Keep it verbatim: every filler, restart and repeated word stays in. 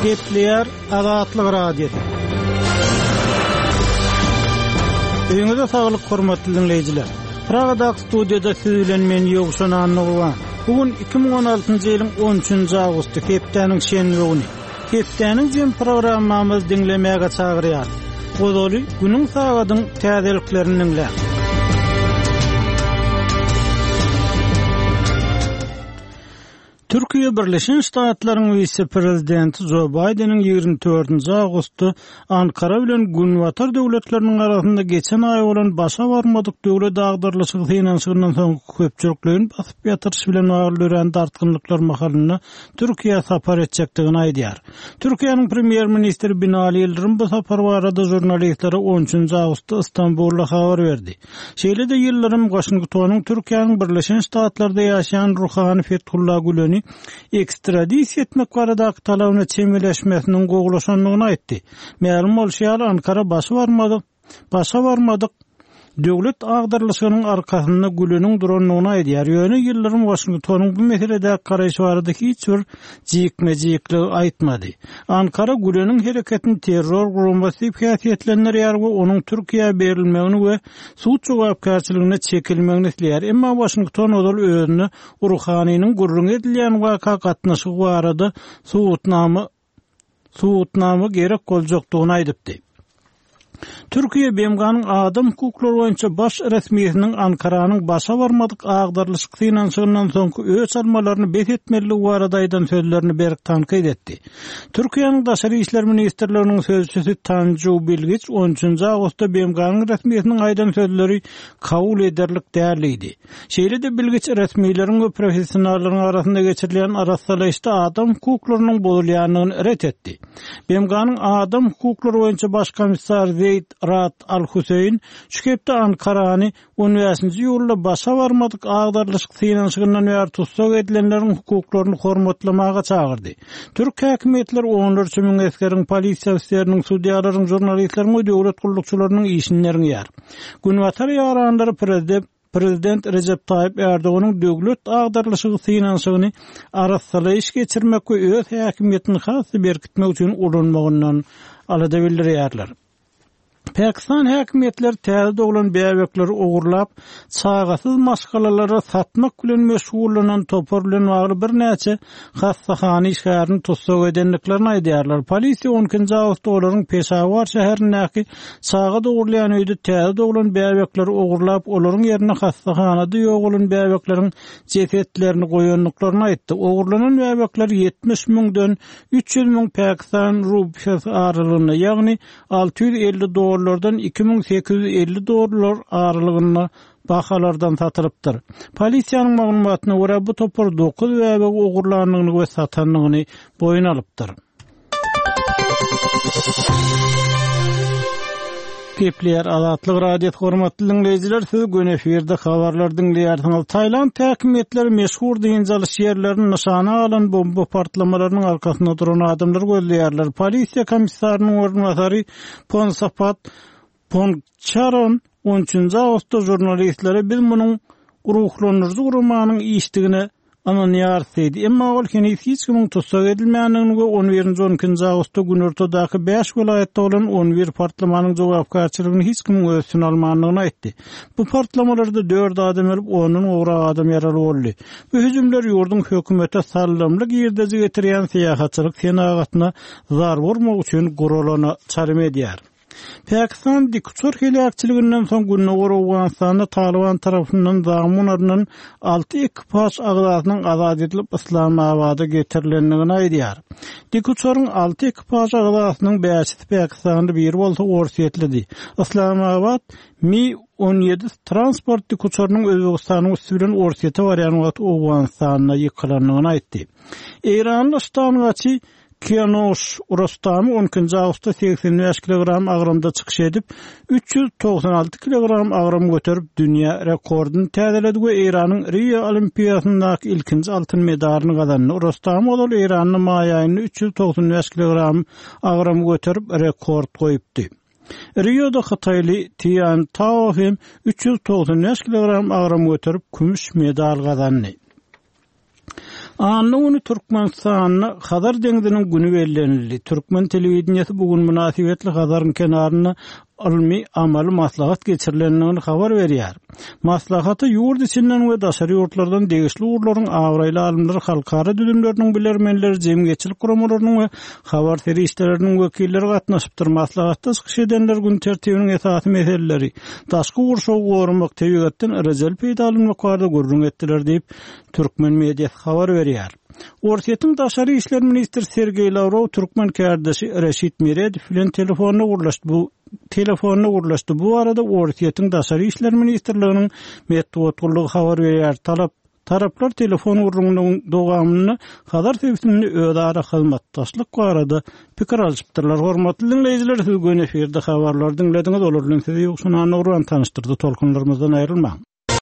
Gepleýär Azatlyk Radiosy. Öýüňize saglyk hormatly dinleýjiler. Pragadaky studiýada siz bilen men Ýowşan Annagurban. Bu gün iki müň on altynjy ýylyň on üçünji awgusty, hepdäniň şenbe güni. Hepdäniň jem programmamyzy diňlemäge çagyrýar. Gozaly günüň sagadyň täzeliklerini diňläň. Türkiýe Birleşen Ştatlaryň wise-prezidenti Joe Biden'iň ýigrimi dördünji awgustda Ankara bilen Günbatar döwletleriniň arasynda geçen aý bolan başa barmadyk döwlet agdarlyşygy synanyşygyndan soň köpçülikleýin basyp ýatyryş bilen bagly dörän dartgynlyklar mahalynda Türkiýe sapar etjekdigini aýdýar. Türkiýäniň premýer-ministri Binali Ýyldyrym bu sapar barada žurnalistlere on üçünji awgustda Istanbulda habar berdi. Şeýle-de Ýyldyrym Waşingtonyň Türkiýäniň Birleşen Ştatlarda ýaşaýan ruhany Fethullah Güleni ekstradisiýa etmek baradaky talabyna çemeleşmesiniň gowulaşandygyny aýtdy. Mälim bolşy ýaly Ankara başy barmadyk, başa barmadyk döwlet agdarlyşygynyň arkasynda Güleniň durandygyny aýdýar. Ýöne Ýyldyrym Waşingtonyň bu meseledäki garaýşy barada hiç bir jikme-jikligi aýtmady. Ankara Güleniň hereketini terror guramasy diýip häsiýetlendirýär we onuň Türkiýä berilmegini we sud jogapkärçiligine çekilmegini isleýär. Emma Waşington ozal özüne Ruhanynyň gürrüň edilýän waka gatnaşygy barada subutnama, subutnama gerek boljakdygyny aýdypdy. Türkiýe B M G-nyň adam hukuklary boýunça baş resmisiniň Ankaranyň başa barmadyk agdarlyşyk synanyşygyndan soňky öç almalaryny bes etmelidigi barada aýdan sözlerini berk tankyt etdi. Türkiýäniň Daşary İşler Ministrliginiň sözçüsi Tanju Bilgiç on üçünji awgustda B M G-nyň resmisiniň aýdan sözleri kabul ederlik däldi. Şeýle-de Bilgiç resmileriň we professionallaryň arasynda geçirilýän arassalayışda adam hukuklarynyň bozulýandygyny ret etdi. B M G-nyň adam hukuklary boýunça baş komissar Zeyd Rad Al-Hüseyin şu hepde Ankarany on bäşinji ýylda başa barmadyk agdarlyşyk synanyşygyndan bäri tussag edilenleriň hukuklaryny hormatlamaga çagyrdy. Türk häkimiýetleri onlarça müň esgeriň, polisiýa ofisleriniň, sudýalaryň, žurnalistleriň we döwlet gullukçylarynyň işini derňeýär. Günbatar ýaranlary prezident, Prezident Recep Tayyip Erdoganyň döwlet agdarlyşygy synanyşygyny arassalaýyş geçirmek we öz häkimiýetini has berkitmek üçin ulanmagyndan alada bildirýärler. Pakistan häkimiýetleri täze doglan bäbekleri ogurlap, çagasyz maşgalalara satmak bilen meşgullanan topar bilen bagly birnäçe hassahana işgärini tussag edendiklerini aýdýarlar. Polisiýa on ikinji awgustda olaryň Peşawar şäherindäki çaga dogurlaýan öýde täze doglan bäbekleri ogurlap, olaryň ýerine hassahanada ýogalan bäbekleriň jesetlerini goýandyklaryny aýtdy. Ogurlanan bäbekler ýetmiş müňden üç ýüz müň Pakistan rupiýasy aralygynda, ýagny alty ýüz elli dollardan iki müň sekiz ýüz elli dollar aralygynda bahalardan satylypdyr. Polisiýanyň maglumatyna görä bu topar dokuz bäbegi ogurlandygyny we satandygyny boýun alypdyr. Gepleýär Azatlyk Radiosy hormatly dinleýjiler, siz gün efirde habarlar dinleýärsiňiz. Tayland häkimiýetleri meşhur dynç alyş ýerlerini nyşana alan bomba partlamalarynyň arkasynda duran adamlary gözleýärler. Polisiýa komissarynyň orunbasary Ponsapat Pongcharon on üçünji awgustda žurnalistlere biz munuň ruhlandyryjy guramanyň işdigine ynanýarys diýdi. Emma ol heniz hiç kimiň tussag edilmändigini we on birinji on ikinji awgustda günortadaky bäş welaýatda bolan on bir partlamanyň jogapkärçiligini hiç kimiň öz üstüne almandygyny aýtdy. Bu partlamalarda dört adam ölüp, ondan gowrak adam ýaraly boldy. Bu hüjümler ýurduň hökümete sallamly girdeji getirýän syýahatçylyk senagatyna zarba urmak üçin guralana çalym edýär. Pakistan dikuçar heläkçiliginden soň Gündogar Owganystanda Taliban tarapyndan zamun alynan alty ekipaž agzasynyň azat edilip Islamabada getirilendigini aýdýar. Dikuçaryň alty ekipaž agzasynyň bäşisi Pakistanly, biri bolsa Orsýetlidi. Islamabad Mi on ýedi transport dikuçarynyň Özbegistanyň üsti bilen Orsýete barýan wagty Owganystanda ýykylandygyny aýtdy. Eýranly ştangaçy Kianoş Rostami on ikinji awgustda segsen bäş kilogram agramda çykyş edip, üç ýüz togsan alty kilogram agram göterip dünýä rekordyny täzeledi we Eýranyň Rio Olimpiýasyndaky ilkinji altyn medalyny gazandy. Rostami ozal Eýranda maý aýynda üç ýüz togsan bäş kilogram agram göterip rekord goýupdy. Rioda Hytaýly Tian Tao hem üç ýüz togsan bäş kilogram agram göterip kümüş medal gazandy. Anna güni Türkmenistanda Hazar deňziniň güni bellenildi. Türkmen telewideniýesi bu gün mynasybetli Hazaryň kenarynda ylmy amaly maslahat geçirilendigini habar berýär. Maslahata ýurt içinden we daşary ýurtlardan degişli ugurlaryň abraýly alymlary, halkara düzümleriniň bilermenleri, jemgyýetçilik guramalarynyň we habar serişdeleriniň wekilleri gatnaşypdyr. Maslahatda çykyş edenler gün tertibiniň esasy meseleleri, daşky gurşawy goramak, tebigatdan rejeli peýdalanmak barada gürrüň etdiler diýip, türkmen mediasy habar berýär. Orsýetiň daşary işler ministri Sergeý Lawrow türkmen kärdeşi Reşit Meredow bilen telefonda gürleşdi. Bu telefonda gürleşdi. Bu barada Orsýetiň daşary işler ministrliginiň metbugat gullugy habar berýär. Talap Taraplar telefon gürrüňiniň dowamynda Hazar sebitinde özara hyzmatdaşlyk barada pikir alşypdyrlar. Hormatly diňleýjiler, siz göni efirde habarlary diňlediňiz. Olar bilen sizi Ýowşan Annagurban tanyşdyrdy. Tolkunlarymyzdan aýrylmaň.